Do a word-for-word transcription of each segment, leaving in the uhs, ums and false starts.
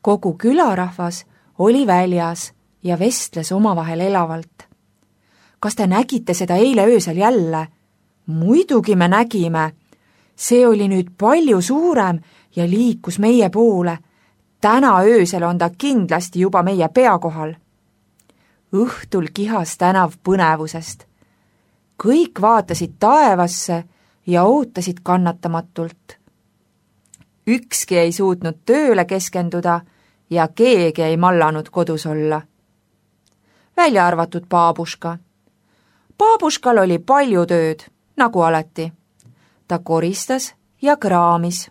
Kogu külarahvas oli väljas ja vestles omavahel elavalt. Kas te nägite seda eile öösel jälle? Muidugi me nägime. See oli nüüd palju suurem ja liikus meie poole. Täna öösel on ta kindlasti juba meie pea kohal. Õhtul kihas tänav põnevusest. Kõik vaatasid taevasse ja ootasid kannatamatult. Ükski ei suutnud tööle keskenduda ja keegi ei mallanud kodus olla. Välja arvatud Baabuška. Baabuškal oli palju tööd, nagu alati. Ta koristas ja kraamis.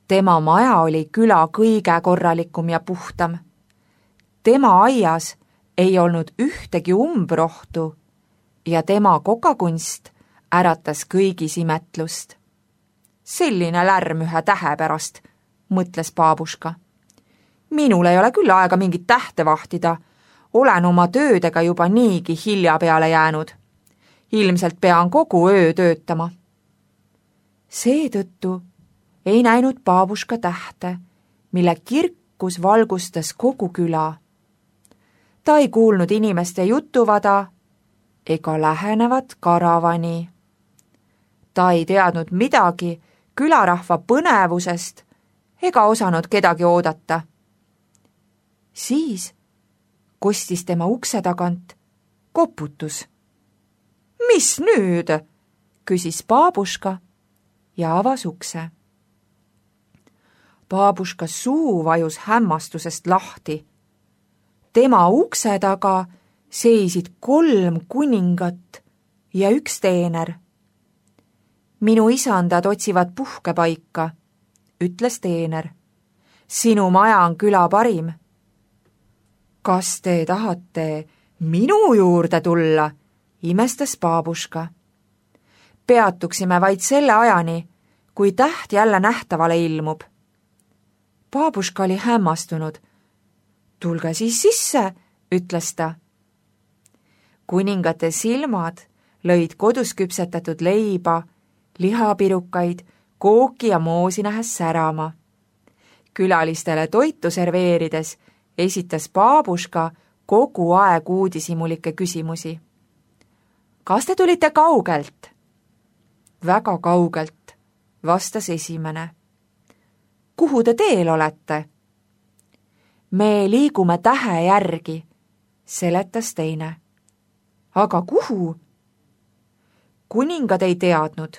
Tema maja oli küla kõige korralikum ja puhtam. Tema aias ei olnud ühtegi umbrohtu ja tema kokakunst äratas kõigis imetlust. Selline lärm ühe tähe pärast, mõtles Baabuška. Minul ei ole küll aega mingit tähte vahtida. Olen oma töödega juba niigi hilja peale jäänud. Ilmselt pean kogu öö töötama. Seetõttu ei näinud Baabuška tähte, mille kirkus valgustas kogu küla. Ta ei kuulnud inimeste jutuvada ega lähenevat karavani. Ta ei teadnud midagi külarahva põnevusest ega osanud kedagi oodata. Siis kostis tema ukse tagant koputus. Mis nüüd? Küsis Baabuška ja avas ukse. Baabuška suu vajus hämmastusest lahti. Tema ukse taga seisid kolm kuningat ja üks teener. Minu isandad otsivad puhkepaika, ütles teener. Sinu maja on küla parim. Kas te tahate minu juurde tulla? Imestas Baabuška. Peatuksime vaid selle ajani, kui täht jälle nähtavale ilmub. Baabuška oli hämmastunud. Tulge siis sisse, ütles ta. Kuningate silmad lõid kodus küpsetatud leiba, lihapirukaid, kooki ja moosi nähes särama. Külalistele toitu serveerides esitas Baabuška kogu aeg uudishimulikke küsimusi. Kas te tulite kaugelt? Väga kaugelt, vastas esimene. Kuhu te teel olete? Me liigume tähe järgi, seletas teine. Aga kuhu? Kuningad ei teadnud,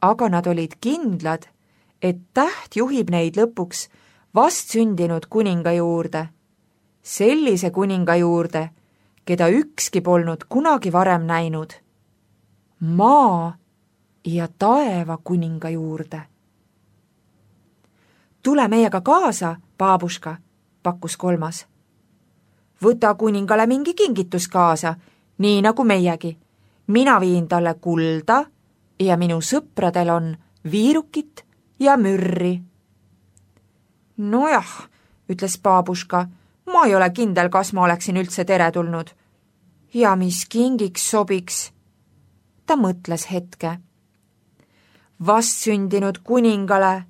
aga nad olid kindlad, et täht juhib neid lõpuks vast sündinud kuninga juurde. Sellise kuninga juurde, keda ükski polnud kunagi varem näinud. Maa ja taeva kuninga juurde. Tule meiega kaasa, Baabuška, pakkus kolmas. Võta kuningale mingi kingitus kaasa, nii nagu meiegi. Mina viin talle kulda ja minu sõpradel on viirukit ja mürri. Nojah, ütles Baabuška, ma ei ole kindel, kas ma oleksin üldse teretulnud. Ja mis kingiks sobiks? Ta mõtles hetke. Vast sündinud kuningale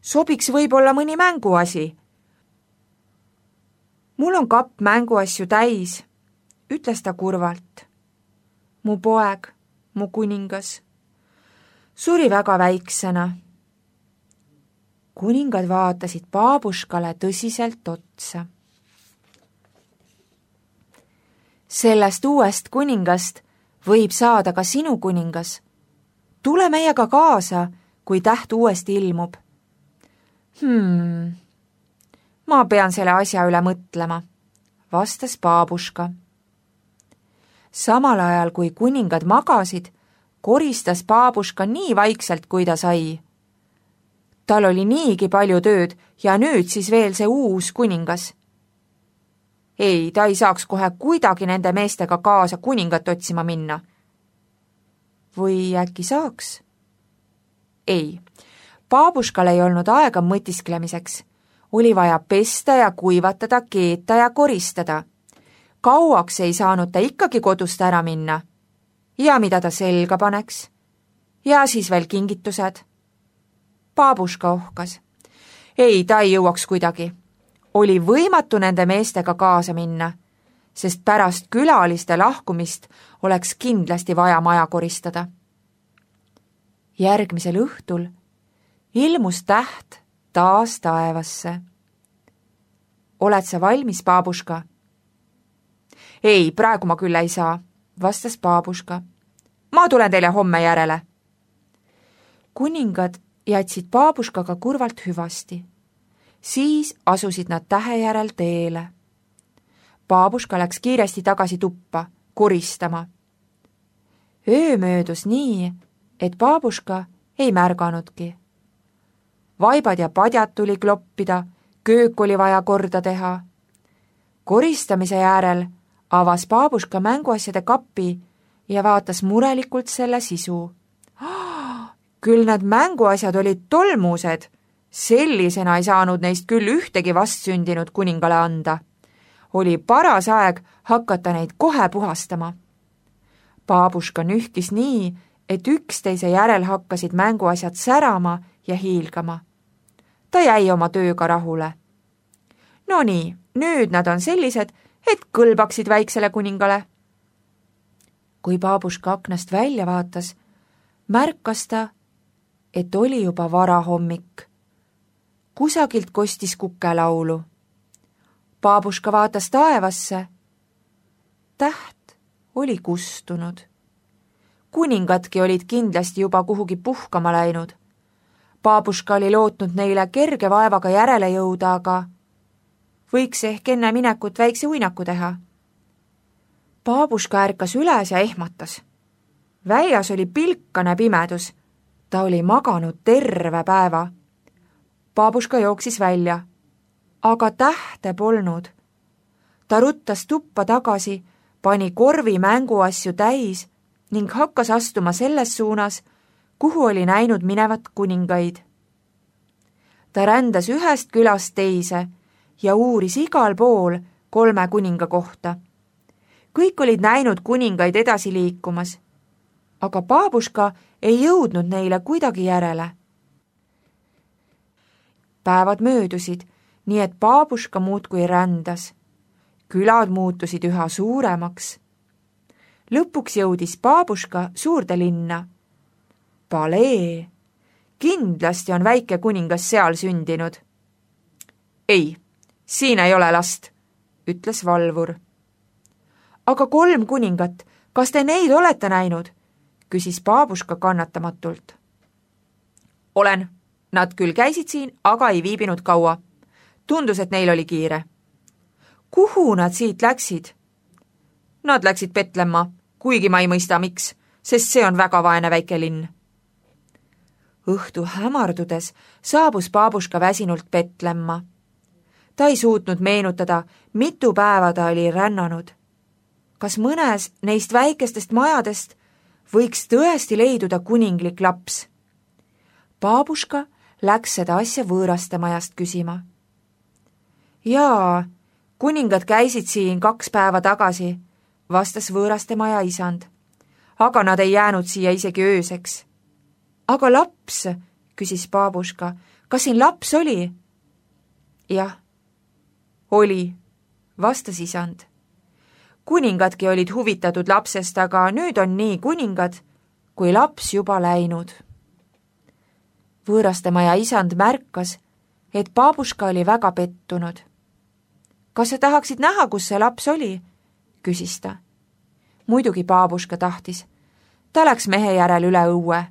sobiks võib-olla mõni mänguasi. Mul on kapp mänguasju täis, ütles ta kurvalt. Mu poeg, mu kuningas, suri väga väiksena. Kuningad vaatasid Baabuškale tõsiselt otsa. Sellest uuest kuningast võib saada ka sinu kuningas. Tule meiega kaasa, kui täht uuesti ilmub. Hmm, ma pean selle asja üle mõtlema, vastas Baabuška. Samal ajal, kui kuningad magasid, koristas Baabuška nii vaikselt, kui ta sai. Tal oli niigi palju tööd ja nüüd siis veel see uus kuningas. Ei, ta ei saaks kohe kuidagi nende meestega kaasa kuningat otsima minna. Või äkki saaks? Ei, Baabuškal ei olnud aega mõtisklemiseks. Oli vaja pesta ja kuivatada, keeta ja koristada. Kauaks ei saanud ta ikkagi kodust ära minna. Ja mida ta selga paneks? Ja siis veel kingitused. Baabuška ohkas. Ei, ta ei jõuaks kuidagi. oli võimatu nende meestega kaasa minna, sest pärast külaliste lahkumist oleks kindlasti vaja maja koristada. Järgmisel õhtul ilmus täht taas taevasse. Oled sa valmis, Baabuška? Ei, praegu ma küll ei saa, vastas Baabuška. Ma tulen teile homme järele. Kuningad jätsid Baabuškaga kurvalt hüvasti. Siis asusid nad tähe järel teele. Baabuška läks kiiresti tagasi tuppa, koristama. Öö möödus nii, et Baabuška ei märganudki. Vaibad ja padjad tuli kloppida, köök oli vaja korda teha. Koristamise järel avas Baabuška mänguasjade kapi ja vaatas murelikult selle sisu. Küll need mänguasjad olid tolmused, sellisena ei saanud neist küll ühtegi vastsündinud kuningale anda. Oli paras aeg hakata neid kohe puhastama. Baabuška nühkis nii, et üksteise järel hakkasid mänguasjad särama ja hiilgama. Ta jäi oma tööga rahule. No nii, nüüd nad on sellised, et kõlbaksid väiksele kuningale. Kui Baabuška aknast välja vaatas, märkas ta, et oli juba varahommik. Kusagilt kostis kukelaulu. Baabuška vaatas taevasse. Täht oli kustunud. Kuningadki olid kindlasti juba kuhugi puhkama läinud. Baabuška oli lootnud neile kerge vaevaga järele jõuda, aga võiks ehk enne minekut väikse uinaku teha. Baabuška ärkas üles ja ehmatas. Väljas oli pilkane pimedus. Ta oli maganud terve päeva. Baabuška jooksis välja, aga tähte polnud. Ta ruttas tuppa tagasi, pani korvi mänguasju täis ning hakkas astuma selles suunas, kuhu oli näinud minevat kuningaid. Ta rändas ühest külast teise ja uuris igal pool kolme kuninga kohta. Kõik olid näinud kuningaid edasi liikumas, aga Baabuška ei jõudnud neile kuidagi järele. Päevad möödusid, nii et Baabuška muudkui rändas. Külad muutusid üha suuremaks. Lõpuks jõudis Baabuška suurde linna. Palee, kindlasti on väike kuningas seal sündinud. Ei, siin ei ole last, ütles valvur. Aga kolm kuningat, kas te neid olete näinud? Küsis Baabuška kannatamatult. Olen, nad küll käisid siin, aga ei viibinud kaua. Tundus, et neil oli kiire. Kuhu nad siit läksid? Nad läksid Petlemma, kuigi ma ei mõista miks, sest see on väga vaene väike linn. Õhtu hämardudes saabus Baabuška väsinult Petlemma. Ta ei suutnud meenutada, mitu päeva ta oli rännanud. Kas mõnes neist väikestest majadest võiks tõesti leiduda kuninglik laps? Baabuška läks seda asja võõraste majast küsima. Jaa, kuningad käisid siin kaks päeva tagasi, vastas võõraste maja isand. Aga nad ei jäänud siia isegi ööseks. Aga laps, küsis Baabuška, kas siin laps oli? Jah, oli, vastas isand. Kuningadki olid huvitatud lapsest, aga nüüd on nii kuningad, kui laps juba läinud. Võõraste maja isand märkas, et Baabuška oli väga pettunud. Kas sa tahaksid näha, kus see laps oli? Küsis ta. Muidugi Baabuška tahtis. Ta läks mehe järel üle õue.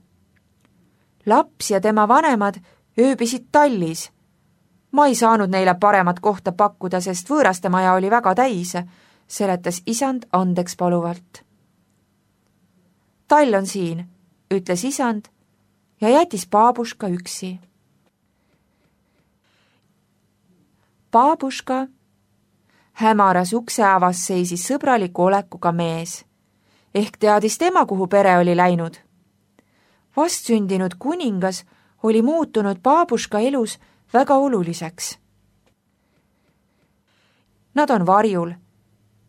Laps ja tema vanemad ööbisid tallis. Ma ei saanud neile paremat kohta pakkuda, sest võõraste maja oli väga täis, seletas isand andeks paluvalt. Tall on siin, ütles isand ja jättis Baabuška üksi. Baabuška hämaras ukse avas seisis sõbraliku olekuga mees, ehk teadis tema, kuhu pere oli läinud. Vastsündinud kuningas oli muutunud Baabuška elus väga oluliseks. Nad on varjul,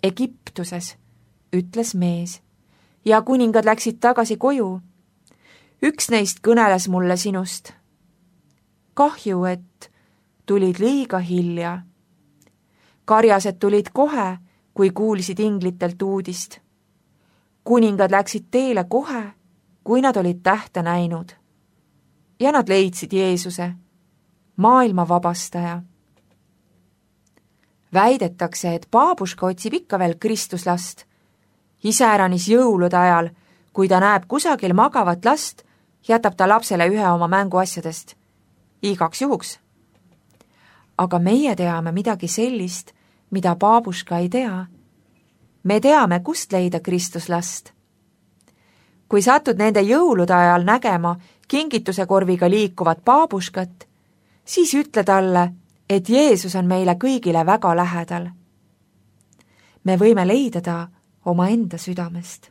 Egiptuses, ütles mees, ja kuningad läksid tagasi koju. Üks neist kõneles mulle sinust. Kahju, et tulid liiga hilja. karjased tulid kohe, kui kuulsid inglitelt uudist. Kuningad läksid teele kohe, kui nad olid tähte näinud. Ja nad leidsid Jeesuse, maailma vabastaja. Väidetakse, et baabuška otsib ikka veel Kristuslast. Iseäranis jõulude ajal, kui ta näeb kusagil magavat last, jätab ta lapsele ühe oma mänguasjadest. Igaks juhuks. Aga meie teame midagi sellist, mida baabuška ei tea. Me teame, kust leida Kristuslast. Kui satud nende jõulude ajal nägema kingituse korviga liikuvat baabuškat, siis ütle talle, et Jeesus on meile kõigile väga lähedal. Me võime leida ta oma enda südamest.